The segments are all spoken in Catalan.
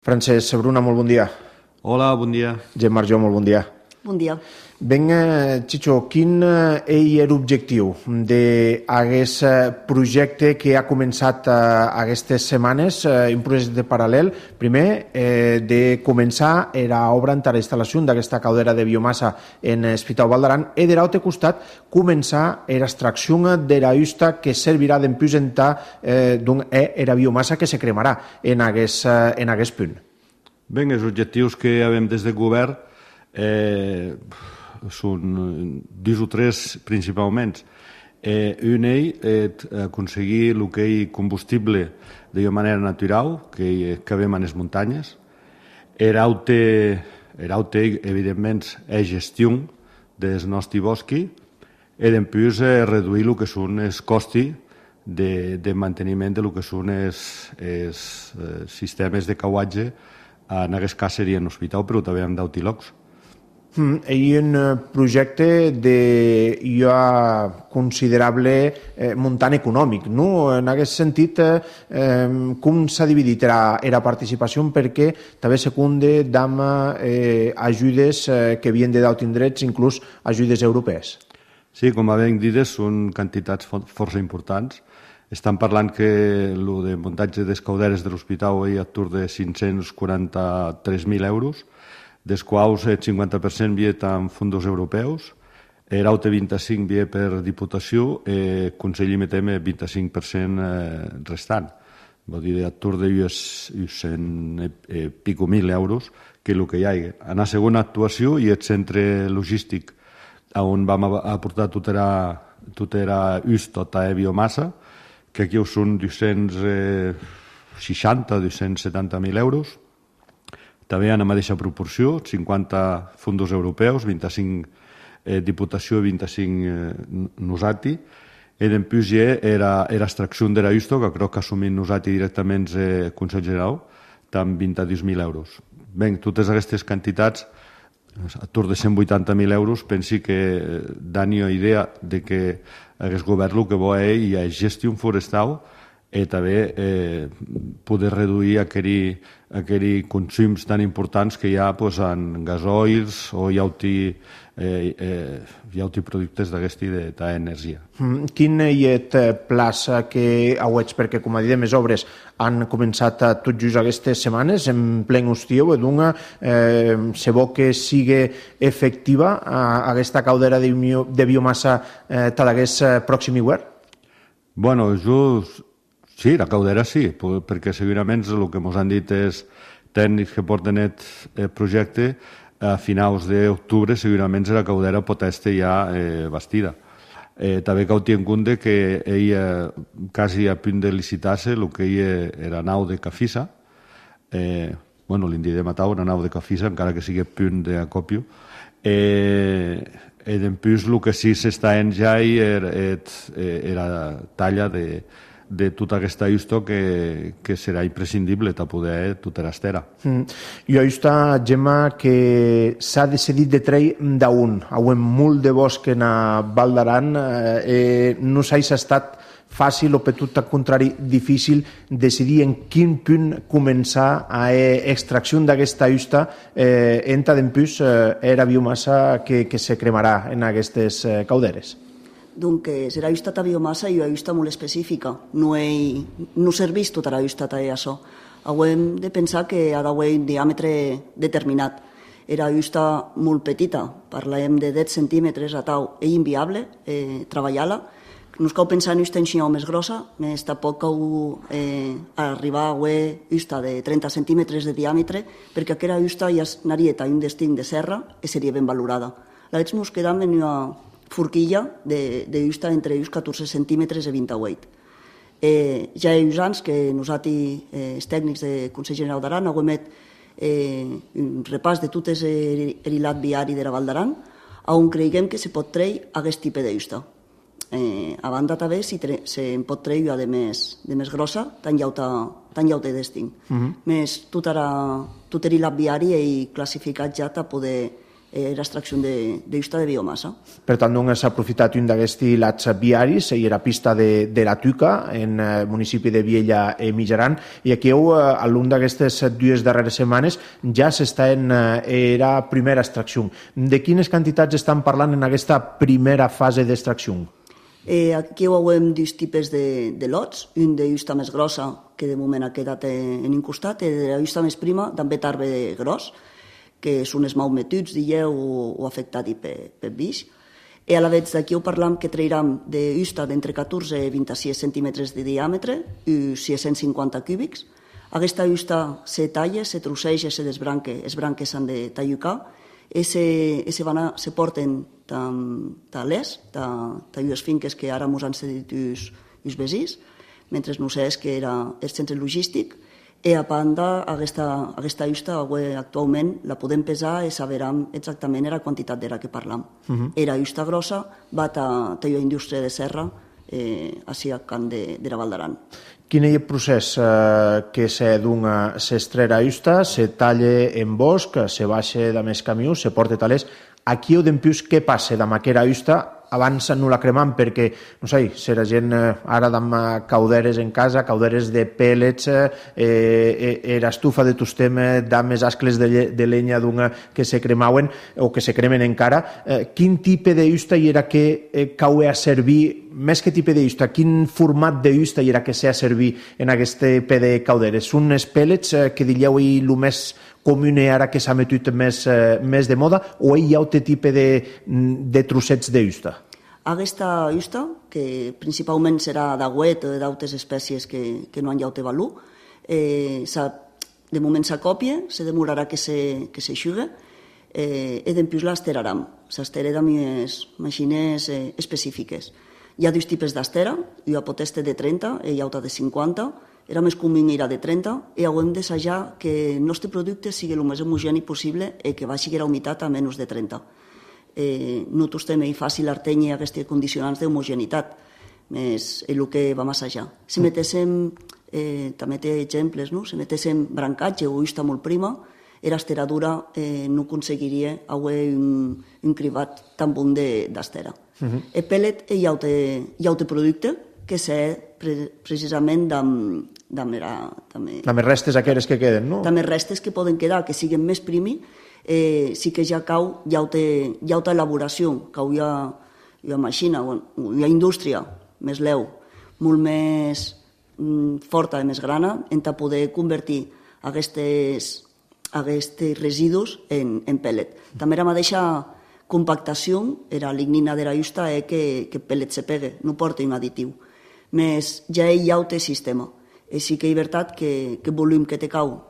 Francesc Bruna, molt bon dia. Hola, bon dia. Gemma Arjó, molt bon dia. Bon dia. Ben, Chicho, quin és l'objectiu d'aquest projecte que ha començat aquestes setmanes, un projecte paral·lel? Primer, de començar l'obra en la instal·lació d'aquesta caldera de biomassa en Hospital Val d'Aran i de l'altre costat començar l'extracció de la justa que servirà d'empusentar la biomassa que se cremarà en aquest punt. Bé, els objectius que hem des del govern són dos o tres principalment. Un és aconseguir el que és combustible de manera natural, que acabem en les muntanyes. L'altre, evidentment, és gestió del nostre bosc i, després, reduir el que són els costos de manteniment del que són els sistemes de cauatge. En aquest cas seria en l'hospital, però també en d'altres llocs. Hi ha un projecte de considerable muntant econòmic, no? En aquest sentit, com s'ha dividit la participació? Perquè també secunde amb ajudes que havien de d'altres indrets, inclús ajudes europees. Sí, com hem dit, són quantitats força importants. Estan parlant que el de muntatge de calderes de l'hospital és a tour de 543.000 euros, dels quals el 50% ve en fons europeus, l'altre 25% ve per Diputació, el Consell emetem el 25% restant. Vol dir, a tour de 100 i pico mil euros, que és el que hi ha. En la segona actuació hi ha el centre logístic on vam aportar tota la biomassa, que aquí són 270.000 euros. També en la mateixa proporció, 50 fons europeus, 25 Diputació i 25 Nosati. I després hi ha l'extracció de la justa, que crec que assumim Nosati directament el Consell General, amb 22.000 euros. Bé, totes aquestes quantitats, a tour de 180.000 euros, pensi que dan una idea de que aquest govern el que vol és gestió forestal i també poder reduir aquells consums tan importants que hi ha en gasoils o hi ha altres productes d'aquesta energia. Quin és el pla que heu? Perquè, com a dit, les obres han començat tot just aquestes setmanes, en plen estiu, se vol que sigui efectiva aquesta caldera de biomassa tal aquest pròxim hivern? Bueno, sí, la caldera sí, perquè segurament el que ens han dit els tècnics que porten el projecte, a finals d'octubre segurament la caldera pot estar ja bastida. També cal tenir en compte que ella quasi a punt de licitar-se el que era nau de Cafisa, l'indi de Matau, una nau de Cafisa, encara que sigui a punt d'acòpio. I després el que sí s'està en ja era talla de tota aquesta justa que serà imprescindible per poder tota l'estera. I aquesta, Gemma, que s'ha decidit de treure d'un. Hi ha molt de bosc en Val d'Aran. No s'ha estat fàcil o per tot el contrari difícil decidir en quin punt començar a extracció d'aquesta justa entre després la biomassa que se cremarà en aquestes calderes. Doncs serà justa la biomassa i una justa molt específica. No serveix tota la justa a això. Hem de pensar que ha d'haver un diàmetre determinat. Era justa molt petita, parlem de 10 centímetres a tau. És inviable treballar-la. No es cal pensar en justa així més grossa, més tampoc cal arribar a haver justa de 30 centímetres de diàmetre, perquè aquesta justa ja anaria a un destí de serra i seria ben valorada. Llavors ens quedam en una forquilla de justa entre 14 centímetres i 28. Ja hi ha anys que nosaltres, els tècnics del Consell General d'Aran, hem fet un repàs de tot l'hilat viari de la Val d'Aran, on creiem que se pot treure aquest tipus de justa. A banda també se'n pot treure de més grossa, tan lleuta de destí. Més tot l'hilat viari és classificat ja per poder era extracció d'usta de biomassa. Per tant, s'ha aprofitat un d'aquests lats viaris i era pista de la Tuca, en el municipi de Viella i Mitjaran, i aquí a l'un d'aquestes 2 darreres setmanes ja s'està en era primera extracció. De quines quantitats estan parlant en aquesta primera fase d'extracció? Aquí ho veiem 2 tipus de lots, un de justa més grossa, que de moment ha quedat en un costat, i de la justa més prima, també tarbe gros, que són els malmetuts, dieu, o afectats per biix. I a la vegada d'aquí ho parlam que trairem de justa d'entre 14 i 26 centímetres de diàmetre i 650 cúbics. Aquesta justa se talla, se trosseja, se desbranca, les branques s'han de tallucar, i se porten talers, les finques que ara ens han cedit els veïns, mentre no sé que era el centre logístic, i a banda aquesta justa actualment la podem pesar i saberem exactament la quantitat d'era que parlam. Era justa grossa, va a la indústria de serra, així a Can de la Val d'Aran. Quin és el procés que s'extrera justa, se talla en bosc, se baixa de més camió, se porta talers. Aquí o dempius què passa amb aquesta justa abans no la cremam perquè, no sé, si la gent ara amb cauderes en casa, cauderes de pèl·lets, estufa de tostem amb les ascles de llenya que se cremaven o que se cremen encara, quin tipus de justa hi era que cau a servir, més que tipus de justa, quin format de justa hi era que s'ha a servir en aquest tipus de cauderes? Són els pèl·lets que diríeu el més comú ara que s'ha metut més de moda, o hi ha altre tipus de trossets de justa? Aquesta justa, que principalment serà d'agüet o d'altres espècies que no han llaut de valor, de moment s'acopia, se demorarà que s'eixuga, i dempius l'esteraram. S'estera amb les màquines específiques. Hi ha 2 tipus d'estera, hi ha potesta de 30 i hi ha altra de 50, era més comú era de 30, i hem d'assajar que el nostre producte sigui el més homogeni possible i que baixi la humitat a menys de 30. No tostem fàcil artenyi aquests condicionants d'homogenitat, és el que vam assajar. Si metéssim, també té exemples, no? Si metéssim brancatge o justa molt prima, l'esteradura no aconseguiria un cribat tan bon d'estera. El pèl·let hi ha un producte que és precisament amb les restes aquelles que queden, no? Amb les restes que poden quedar, que siguin més primi, sí que ja cau, hi ha altra elaboració, cau hi ha màquina, hi ha indústria més leu, molt més forta i més grana, en poder convertir aquests residus en pèl·let. També la mateixa compactació, la lignina de la justa, que el pèl·let se pegue, no porta un additiu. Més ja hi ha un sistema. I sí que és veritat que el volum que te cau,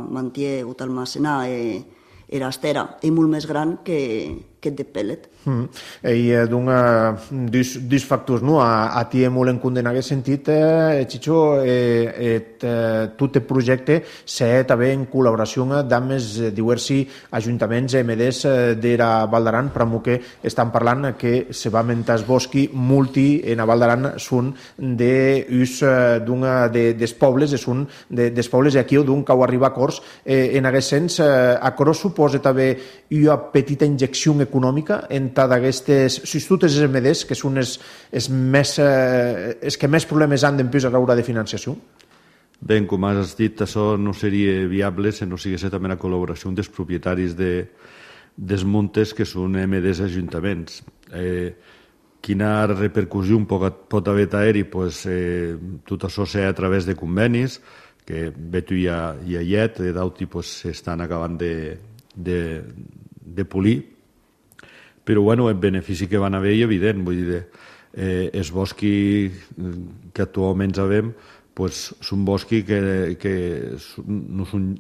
manté o t'almacenar l'estera és molt més gran que el de pèl·let. I dos factors, no? A ti molt en compte en aquest sentit, Chicho, tot el projecte s'ha també en col·laboració amb els diversos ajuntaments MDs de la Val d'Aran, però que estan parlant que se va mentar el bosc multi en la Val d'Aran són d'ús dels pobles, són dels pobles i aquí d'un cau arriba a acords. En aquest sens, acords suposa també una petita injecció econòmica en d'aquestes instituts MDs que són els que més problemes han d'empresa a l'hora de financiació? Bé, com has dit, això no seria viable si no sigués també la col·laboració dels propietaris dels muntes que són MDs ajuntaments. Quina repercussió pot haver d'aer-hi? Tot això s'ha a través de convenis que Beto i Ayet d'Auti s'estan acabant de polir, però el benefici que van haver és evident. Vull dir, els boscs que actualment sabem són boscs que no són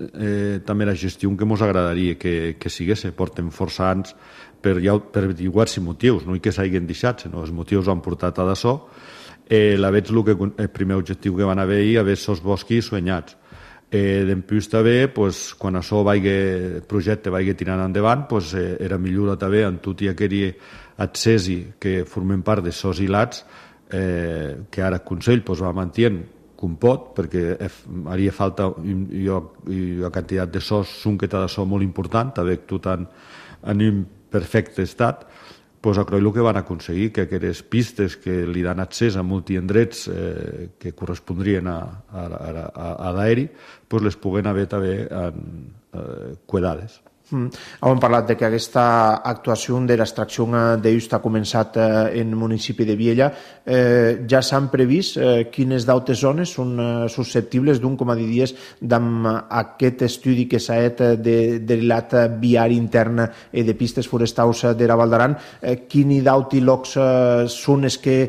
també la gestió que ens agradaria que sigués. Porten força anys per diversos motius, no que s'hagin deixat, sinó els motius han portat a d'això. El primer objectiu que van haver és haver els boscs soñats. Dempuix també, quan el projecte vagi tirant endavant, era millor també en tot i aquell accessi que formen part de sos hilats que ara el Consell va mantenir com pot, perquè haria falta una quantitat de sòs, sunqueta de so molt important, també tot en imperfecte estat. Pues a Croy el que van aconseguir que aquestes pistes que li dan accés a multiendrets que correspondrien a l'aeri, pues les puguen haver també cuidades. Hem parlat de que aquesta actuació de l'extracció d'Eusta ha començat en el municipi de Viella. Ja s'han previst quines d'altres zones són susceptibles d'un, com a diries, d'amb aquest estudi que s'ha fet de l'at viari intern de pistes forestals de la Val d'Aran. Quini d'altres llocs són els que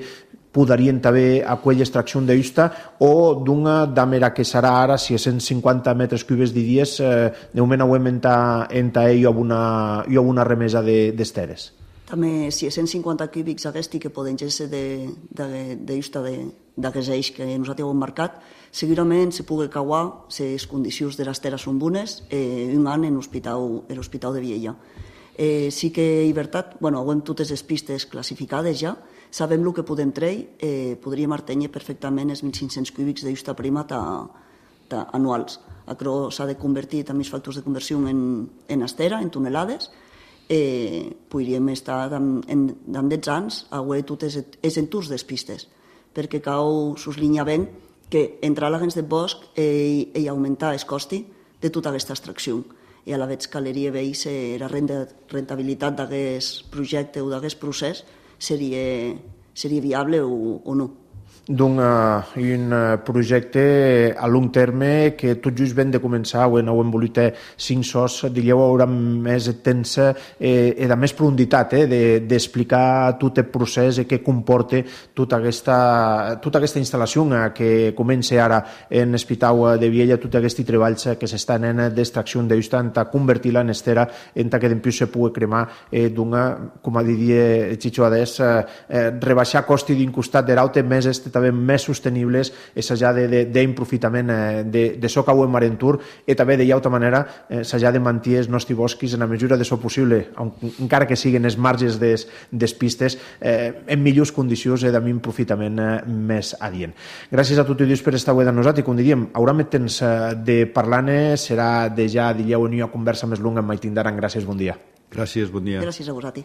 podrien també aquella extracció d'Eusta o d'una d'amera que serà ara, si és 150 metres cúbics de dies, de moment auem enta ell a una remesa d'esteres. També, si és 150 cúbics aquesta que poden ser d'Eusta d'aquest eix que nosaltres hem marcat, segurament se pugui cauar les condicions de les terres són bones un any en l'Hospital de Viella. Sí que és veritat, hem totes les pistes classificades ja, sabem el que podem treure, podríem artenyer perfectament els 1.500 cúbics d'Eusta prima anuals. Això s'ha de convertir també els factors de conversió en estera, en tonelades. Podríem estar en 10 anys a veure totes els entorns de les pistes, perquè cal suslinyar ben que entrar a l'agents de bosc i augmentar el costi de tota aquesta extracció. I a la vegada caleria veure si la rentabilitat d'aquest projecte o d'aquest procés seria viable o no. Un projecte a long terme que tot just ben de començar, ho hem volut 5 sos, diríeu, haurà més temps i de més profunditat d'explicar tot el procés i què comporta tota aquesta instal·lació que comença ara en l'Hospital de Viella, tots aquests treballs que s'estan en d'extracció d'Eusta, en convertir-la en estera, en que després se pugui cremar d'una, com diria Chicho Adés, rebaixar costi d'un costat de l'altre, més també més sostenibles i s'ha d'improfitament de so que ho en Marentur i també de altra manera s'ha de mantenir els nostres boscos en la mesura de so possible, encara que siguin els marges des pistes en millors condicions i amb un profitament més adient. Gràcies a tots i per estar avui amb nosaltres i com diríem, haurà més temps de parlar-ne, serà de ja, diríeu, en una conversa més longa amb Maitíndaran. Gràcies, bon dia. Gràcies, bon dia. Gràcies a vosaltres.